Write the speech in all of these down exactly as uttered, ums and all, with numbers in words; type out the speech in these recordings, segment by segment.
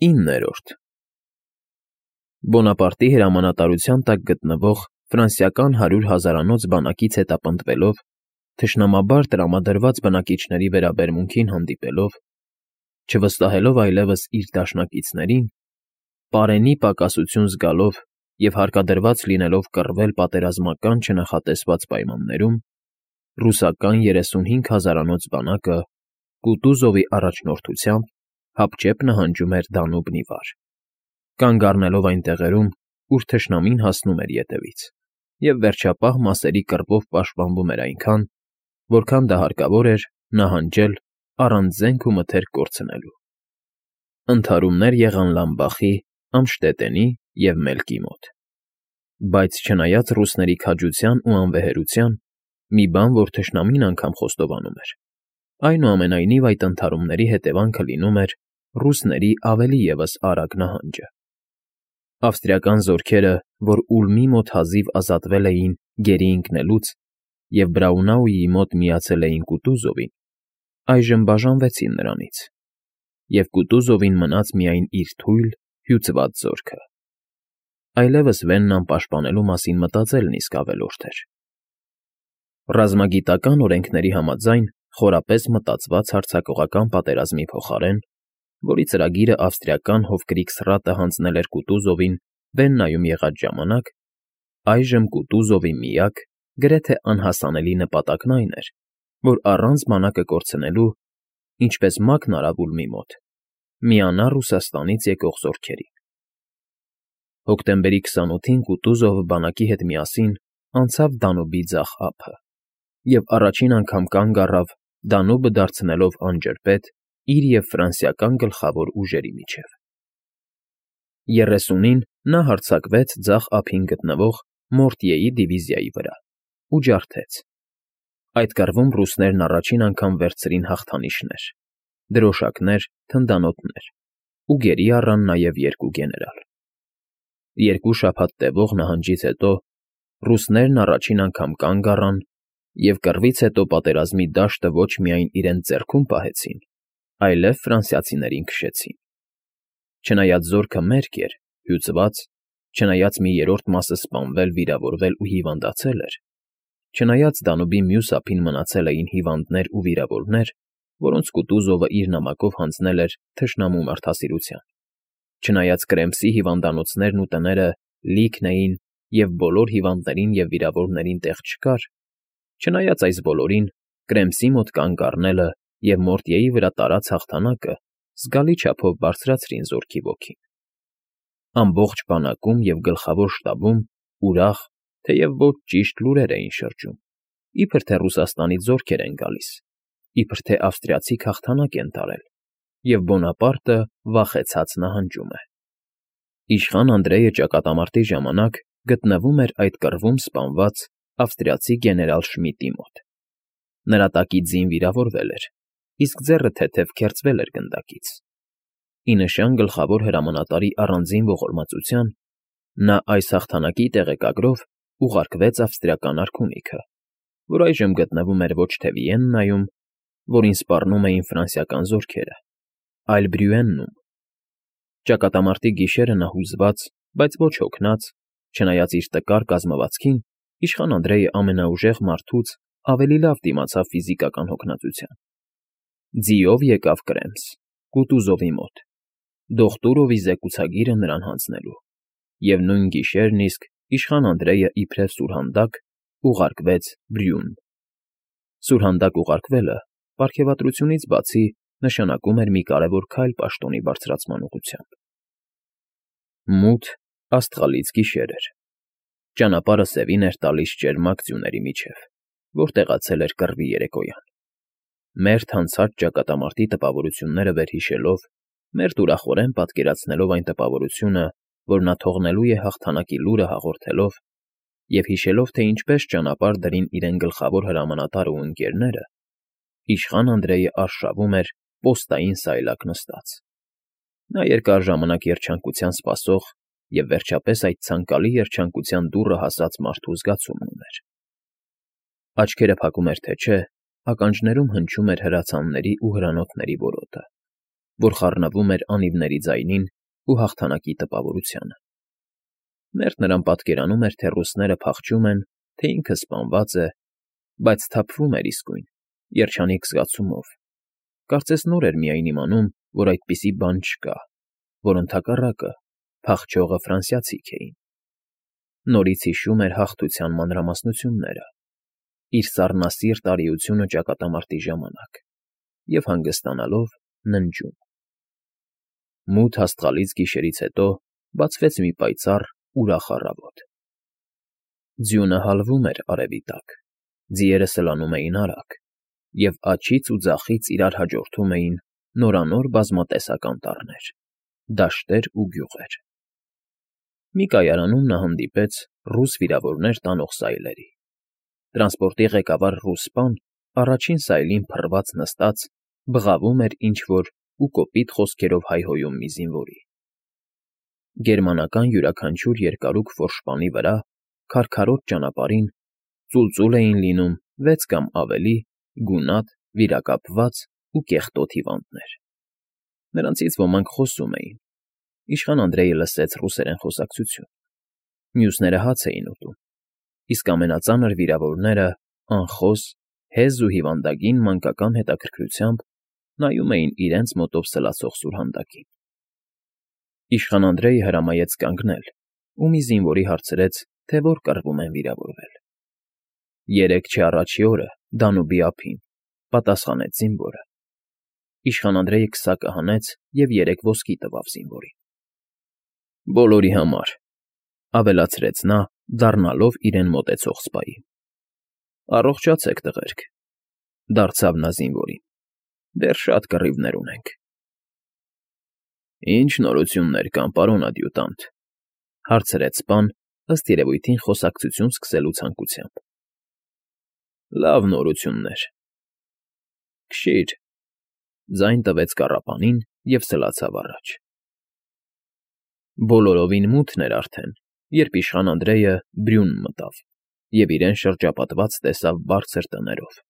Իններորդ Բոնապարտի հրամանատարության տակ գտնվող ֆրանսիական հարյուր հազարանոց բանակից հետապնդվելով, թշնամաբար տրամադրված բնակիչների վերաբերմունքին հանդիպելով, չվստահելով այլևս իր դաշնակիցներին, պարենի պակասություն զգալով և հարկադրված լինելով կռվել պատերազմական չնախատեսված պայմաններում, ռուսական երեսունհինգ հազարանոց բանակը Կուտուզովի առաջնորդությամբ հապճեպ նահանջում էր Դանուբն ի վար, կանգ առնելով այն տեղերում, ուր թշնամին հասնում էր ետևից, և վերջապահ մասերի կռվով պաշտպանվում էր այնքան, որքան դա հարկավոր էր նահանջել առանց զենք ու մթերք կորցնելու։ Ընդհարումներ եղան Լամբախի, Ամշտետենի և Մելկի մոտ, բայց չնայած ռուսների քաջության ու անվեհերության, մի բան, որ թշնամին անգամ խոստովանում էր, այնուամենայնիվ այդ ընդհարումների հետևանքը լինում էր ռուսների ավելի ևս արագ նահանջը։ Ավստրիական զորքերը, որ Ուլմի մոտ հազիվ ազատվել էին գերի ընկնելուց և Բրաունաուի մոտ միացել էին Կուտուզովին, այժմ բաժանվեցին նրանից, և Կուտուզովին մնաց միայն իր թույլ, հյուծված զորքը։ Այլևս Վեննան պաշտպանելու մասին մտածելն իսկ ավելորդ էր։ Ռազմագիտական օրենքների համաձայն խորապես մտածված հարձակողական պատերազմի փոխարեն, որի ծրագիրը ավստրիական Հովկրիգսրատը հանձնել էր Կուտուզովին Վեննայում եղած ժամանակ, այժմ Կուտուզովի միակ, գրեթե անհասանելի նպատակն այն էր, որ առանց բանակը կորցնելու, ինչպես մակն արավ Ուլմի մոտ, միանա Ռուսաստանից եկող զորքերին։ Հոկտեմբերի քսանութին Կուտուզովը բանակի հետ միասին անցավ Դանուբի ձախ ափը և առաջին անգամ կանգ առավ Դանուբը դարձնելով անջրպետ իր և ֆրանսիական գլխավոր ուժերի միջև։ Երեսունին նա հարձակվեց ձախ ափին գտնվող Մորտյեի դիվիզիայի վրա ու ջարդեց։ Այդ կռվում ռուսներն առաջին անգամ վերցրին հաղթանիշներ, դրոշակներ, թնդանոթներ ու գերի առան նաև երկու գեներալ։ Երկու շաբաթ տևող նահանջից հետո ռուսներն առաջին անգամ կանգ առան և կռվից հետո պատերազմի դաշտը ոչ միայն իրենց ձեռքում պահեցին, այլև ֆրանսիացիներին քշեցին։ Չնայած զորքը մերկ էր, հյուծված, չնայած մի երրորդ մասը սպանվել, վիրավորվել ու հիվանդացել էր, չնայած Դանուբի մյուս ափին մնացել էին հիվանդներ ու վիրավորներ, որոնց Կուտուզովը իր նամակով հանձնել էր թշնամու մարդասիրության, չնայած Կրեմսի հիվանդանոցներն ու տները լիքն էին և բոլոր հիվանդներին և վիրավորներին տեղ չկար, չնայած այս բոլորին, Կրեմսի մոտ կանգ առնելը և Մորտյեի վրա տարած հաղթանակը զգալի չափով բարձրացրին զորքի ոգին։ Ամբողջ բանակում և գլխավոր շտաբում ուրախ, թեև ոչ ճիշտ լուրեր էին շրջում, իբր թե Ռուսաստանից զորքեր են գալիս, իբր թե ավստրիացիք հաղթանակ են տարել, և Բոնապարտը վախեցած նահանջում է։ Իշխան Անդրեյը ճակատամարտի ժամանակ գտնվում էր այդ կռվում սպանված ավստրիացի գեներալ Շմիդտի մոտ։ Նրա տակից ձին վիրավորվել էր, իսկ ձեռը թեթև քերծվել էր գնդակից։ Ի նշան գլխավոր հրամանատարի առանձին ողորմածության, նա այս հաղթանակի տեղեկագրով ուղարկվեց ավստրիական արքունիքը, որ այժմ գտնվում էր ոչ թե Վիեննայում, որին սպառնում էին ֆրանսիական զորքերը, այլ Բրյուեննում։ Ճակատամարտի գիշերը նա հուզված, բայց ոչ հոգնած, չնայած իր տկար կազմվածքին, իշխան Անդրեյը ամենաուժեղ մարդուց ավելի լավ դիմացավ ֆիզիկական հոգնածության։ Ձիով եկավ Կրեմս, Կուտուզովի մոտ, Դոխտուրովի զեկուցագիրը նրան հանձնելու, և նույն գիշերն իսկ իշխան Անդրեյը իբրև սուրհանդակ ուղարկվեց Բրյուն։ Սուրհանդակ ուղարկվելը, պարգևատրությունից բացի, նշանակում էր մի կարևոր քայլ պաշտոնի բարձրացման ուղղությամբ։ Մութ, աստղալից գիշեր էր։ Ճանապարհը սևին էր տալիս ճերմակ ձյուների միջև, որ տեղացել էր կռվի երեկոյան։ Մերթ անցած ճակատամարտի տպավորությունները վերհիշելով, մերթ ուրախորեն պատկերացնելով այն տպավորությունը, որ նա թողնելու է հաղթանակի լուրը հաղորդելով, և հիշելով, թե ինչպես ճանապարհ դրին իրեն գլխավոր հրամանատարը ու ընկերները, իշխան Անդրեյը արշավում էր պոստային սայլակ նստած։ Նա երկար ժամանակ երջանկության սպասող և վերջապես այդ ցանկալի երջանկության դուռը հասած մարդու զգացումն ուներ։ Աչքերը փակում էր թե չէ, ականջներում հնչում էր հրացանների ու հրանոթների որոտը։ որ խառնվում էր անիվների ձայնին ու հաղթանակի տպավորությանը։ Մերթ նրան պատկերանում էր, թե ռուսները փախչում են, թե ինքը սպանված է, բայց սթափվում էր իսկույն, երջանիկ զգացումով, կարծես նոր էր միայն իմանում, որ այդպիսի բան չկա, որ ընդհակառակը փախչողը ֆրանսիացիք էին։ Նորից հիշում էր հաղթության մանրամասնությունները, իր սառնասիրտ արիությունը ճակատամարտի ժամանակ և հանգստանալով ննջում։ Մութ հաստղալից գիշերից հետո բացվեց մի պայծառ, ուրախ առավոտ։ Ձյունը հալվում էր արևի տակ, ձիերը սլանում էին արագ, և աջից ու ձախից իրար հաջորդում էին նորանոր բազմատեսակ անտառներ, դաշտեր ու գյուղեր։ Մի կայարանում նա հանդիպեց ռուս վիրավորներ տանող սայլերի։ Տրանսպորտի ղեկավար ռուս սպան առաջին սայլին փռված նստած բղավում էր ինչ֊որ ու կոպիտ խոսքերով հայհոյում մի զինվորի։ Գերմանական յուրաքանչյուր երկարուկ ֆորշպանի վրա, քարքարոտ ճանապարհին, ծուլծուլ էին լինում վեց կամ ավելի գունատ, վիրակապված ու կեղտոտ հիվանդներ։ Նրանցից ոմանք խոսում էին։ Իշխան Անդրեյը լսեց ռուսերեն խոսակցություն։ Մյուսները հաց էին ուտում, իսկ ամենածանր վիրավորները անխոս, հեզ ու հիվանդագին մանկական հետաքրքրությամբ նայում էին իրենց մոտով սլացող սուրհանդակին։ Իշխան Անդրեյը հրամայեց կանգնել ու մի զինվորի հարցրեց, թե որ կռվում են վիրավորվել։ Երեկ չէ առաջի օրը Դանուբի ափին, պատասխանեց զինվորը։ Իշխան Անդրեյը քսակը հանեց և երեք ոսկի տվավ զինվորին։ Բոլորի համար, ավելացրեց նա, դառնալով իրեն մոտեցող սպային։ Առողջացեք, տղերք, դարձավ նա զինվորին, դեռ շատ կռիվներ ունենք։ Ինչ նորություններ կան, պարոն ադյուտանտ, հարցրեց սպան, ըստ երևույթին խոսակցություն սկսելու ցանկությամբ։ Լավ նորություններ։ Քշի՛ր, ձայն տվեց կառապանին և սլացավ առաջ։ Բոլորովին մութն էր արդեն, երբ իշխան Անդրեյը բրյուն մտավ և իրեն շրջապատված տեսավ բարձր տներով,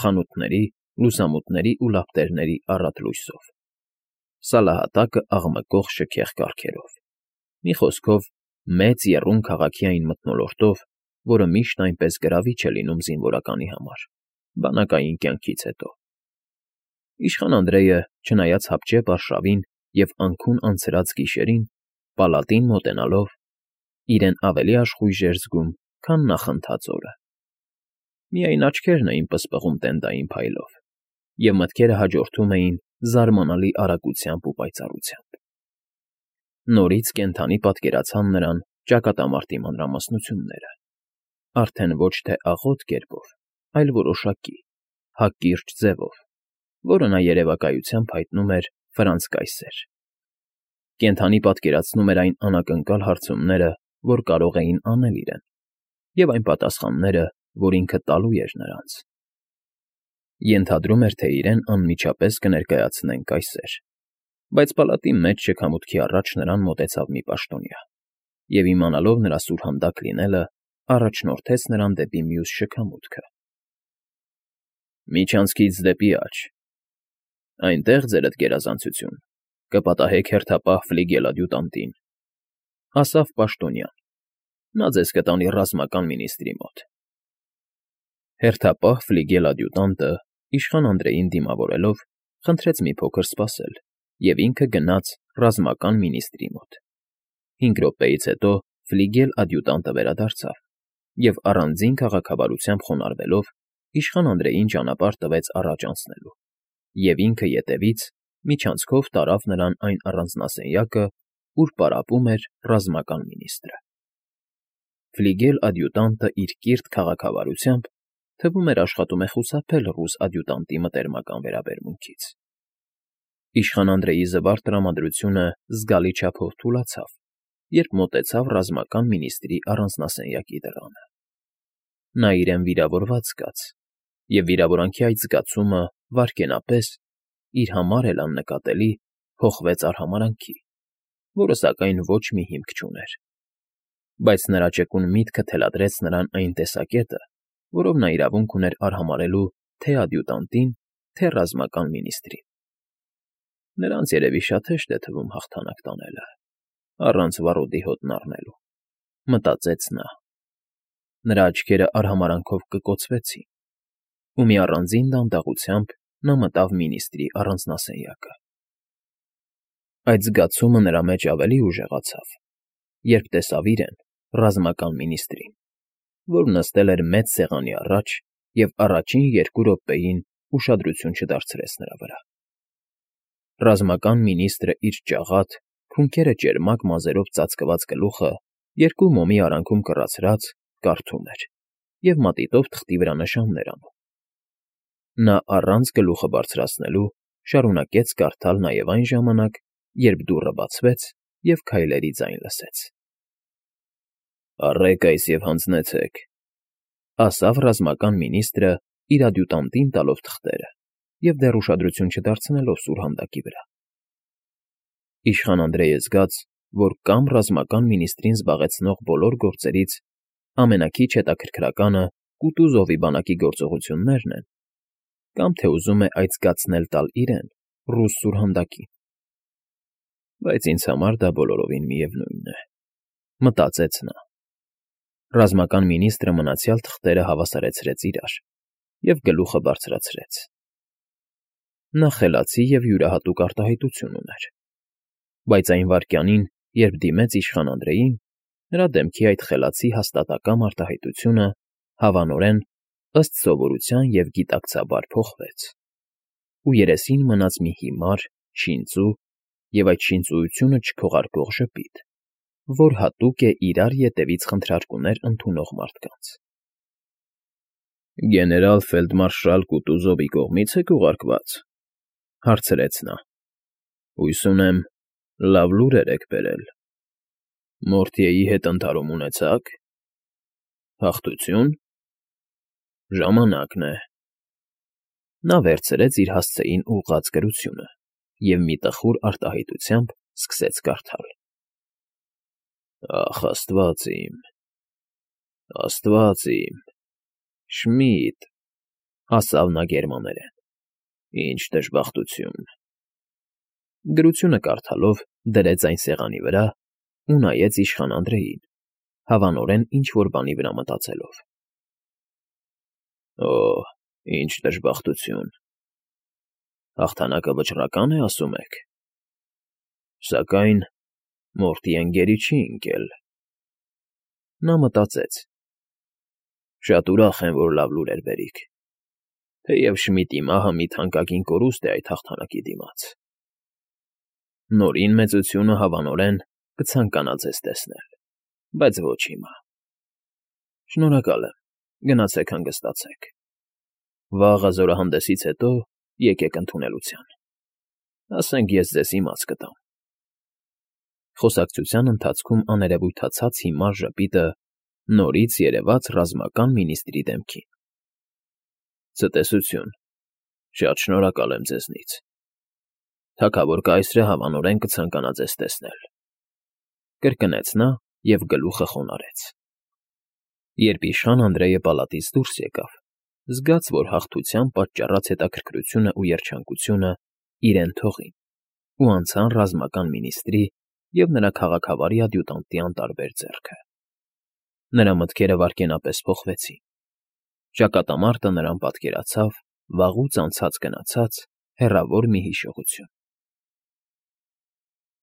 խանութների, լուսամուտների ու լապտերների առատ լույսով, սալահատակը աղմկող շքեղ կառքերով, մի խոսքով, մեծ եռում քաղաքի այն մթնոլորտով, որը միշտ այնպես գրավիչ է լինում զինվորականի համար, բանակային կյանքից հետո։ Իշխան Անդրեյը, չնայած հապճեպ արշավին և անքուն անցրած գիշերին, պալատին մոտենալով, իրեն ավելի աշխույժ էր զգում, քան նախընթաց օրը։ Միայն աչքերն էին պսպղում տենդային փայլով, և մտքերը հաջորդում էին զարմանալի արագությամբ ու պայծառությամբ։ Նորից կենդանի պատկերացան նրան ճակատամարտի մանրամասնությունները, արդեն ոչ թե աղոտ կերպով, այլ որոշակի, հակիրճ ձևով, որը նա երևակայությամբ հայտնում էր Ֆրանց կայսեր։ Կենդանի պատկերացնում էր այն անակնկալ հարցումները, որ կարող էին անել իրեն, և այն պատասխանները, որ ինքը տալու էր նրանց։ Ենթադրում էր, թե իրեն անմիջապես կներկայացնեն կայսեր, բայց պալատի մեջ շքամուտքի առաջ նրան մոտեցավ մի պաշտոնյա, և իմանալով նրա սուրհանդակ լինելը, առաջնորդեց նրան դեպի մյուս շքամուտքը։ Միջանցքից դեպի աջ, այնտեղ, ձերդ գերազանցություն, կպատահեք հերթապահ ֆլիգել ադյուտանտին, ասավ պաշտոնյան, նա ձեզ կտանի ռազմական մինիստրի մոտ։ Հերթապահ ֆլիգել ադյուտանտը, իշխան Անդրեյին դիմավորելով, խնդրեց մի փոքր սպասել, և ինքը գնաց ռազմական մինիստրի մոտ։ Հինգ րոպեից հետո ֆլիգել ադյուտանտը վերադարձավ և առանձին քաղաքավարությամբ խոնարհվելով իշխան Անդրեյին ճանապարհ տվեց առաջ անցնելու, և ինքը ետևից միջանցքով տարավ նրան այն առանձնասենյակը, ուր պարապում էր ռազմական մինիստրը։ Ֆլիգել ադյուտանտը իր կիրթ քաղաքավարությամբ, թվում էր, աշխատում է խուսափել ռուս ադյուտանտի մտերմական վերաբերմունքից։ Իշխան Անդրեյի զվարթ տրամադրությունը զգալի չափով թուլացավ, երբ մոտեցավ ռազմական մինիստրի առանձնասենյակի դռանը։ Նա իրեն վիրավորված զգաց, և վիրավորանքի այդ զգացումը վայրկենապես, իր համար էլ աննկատելի, փոխվեց արհամարհանքի, որը, սակայն, ոչ մի հիմք չուներ։ Բայց նրա ճկուն միտքը թելադրեց նրան այն տեսակետը, որով նա իրավունք ուներ արհամարհելու թե՛ ադյուտանտին, թե՛ ռազմական մինիստրին։ Նրանց երևի շատ հեշտ է թվում հաղթանակ տանելը, առանց վառոդի հոտն առնելու, մտածեց նա։ Նրա աչքերը արհամարանքով կկոցվեցին, ու մի առանձին դանդաղությամբ նա մտավ մինիստրի առանձնասենյակը։ Այդ զգացումը նրա մեջ ավելի ուժեղացավ, երբ տեսավ իրեն, ռազմական մինիստրին, որ նստել էր մեծ սեղանի առաջ և առաջին երկու րոպեին ուշադրություն չդարձրեց նրա վրա։ Ռազմական մինիստրը իր ճաղատ, փունքերը ճերմակ մազերով ծածկված գլուխը երկու մոմի արանքում կռացրած կարդում էր և մատիտով թղթի վրա նշաններ անում։ Նա առանց գլուխը բարձրացնելու շարունակեց կարդալ նաև այն ժամանակ, երբ դուռը բացվեց և քայլերի ձայն լսեց։ «Առեք այս և հանձնեցեք», ֊ ասավ ռազմական մինիստրը իր ադյուտանտին տալով թղթերը և դեռ ուշադրություն չդարձնելով սուրհանդակի վրա։ Իշխան Անդրեյը զգաց, որ կամ ռազմական մինիստրին զբաղեցնող բոլոր գործերից ամենաքիչ հետաքրքրականը Կուտուզովի բանակի գործողություններն են, կամ թե ուզում է այդ զգացնել տալ իրեն՝ ռուս սուրհանդակին։ Բայց ինձ համար դա բոլորովին միևնույն է, մտածեց նա։ Ռազմական մինիստրը մնացյալ թղթերը հավասարեցրեց իրար և գլուխը բարձրացրեց։ Նա խելացի և յուրահատուկ արտահայտություն ուներ, բայց այն վայրկյանին, երբ դիմեց իշխան Անդրեյին, նրա դեմքի այդ խելացի հաստատակամ արտահայտությունը հավանորեն, ըստ սովորության և գիտակցաբար փոխվեց, ու երեսին մնաց մի հիմար, շինծու և այդ շինծուությունը չքողարկող ժպիտ, որ հատուկ է իրար ետևից խնդրարկուներ ընդունող մարդկանց։ ֊ Գեներալ֊ֆելդմարշալ Կուտուզովի կողմի՞ց եք ուղարկված,֊ հարցրեց նա։ ֊ Հույս ունեմ, լավ լուրեր եք բերել։ Մորթիեի հետ ընդհարում ունեցա՞ք։ Հաղթությո՞ւն։ Ժամանակն է։ Նա վերցրեց իր հասցեին ուղղած գրությունը և մի տխուր արտահայտությամբ սկսեց կարդալ. «Ախ, աստված իմ, աստված իմ, Շմիդ», ֊ ասավ նա գերմաներեն, ֊ ինչ դժբախտություն։ Գրությունը կարդալով դրեց այն սեղանի վրա ու նայեց իշխան Անդրեյին, հավանորեն ինչ֊որ բանի վրա մտածելով։ ֊ Օ՜, ինչ դժբախտություն։ Հաղթանակը վճռակա՞ն է, ասում եք։ Սակայն Մորտիեն գերի չի ընկել։ Նա մտածեց. «Շատ ուրախ եմ, որ լավ լուրեր բերիք, թեև Շմիդի մահը մի թանկագին կորուստ է այդ հաղթանակի դիմաց։ Նորին մեծությունը, հավանորեն, կցանկանա ձեզ տեսնել, բայց ոչ հիմա։ Շնորհակալ եմ, գնացեք հանգստացեք։ Վաղը զորահանդեսից հետո եկեք ընդունելության, ասենք ես ձեզ իմաց կտամ»։ Խոսակցության ընթացքում աներևույթացած հիմար ժպիտը նորից երևաց ռազմական մինիստրի դեմքին։ «Ցտեսություն, շատ շնորհակալ եմ ձեզնից։ Թագավոր կայսրը հավանորեն կցանկանա ձեզ տեսնել», ֊ կրկնեց նա և գլուխը խոնարհեց։ Երբ իշխան Անդրեյը պալատից դուրս եկավ, զգաց, որ հաղթության պատճառած հետաքրքրությունն ու երջանկությունը իրեն թողին ու անցան ռազմական մինիստրի և նրա քաղաքավարի ադյուտանտի անտարբեր ձեռքը։ Նրա մտքերը վայրկենապես փոխվեցին։ Ճակատամարտը նրան պատկերացավ վաղուց անցած֊գնացած հեռավոր մի հիշողություն։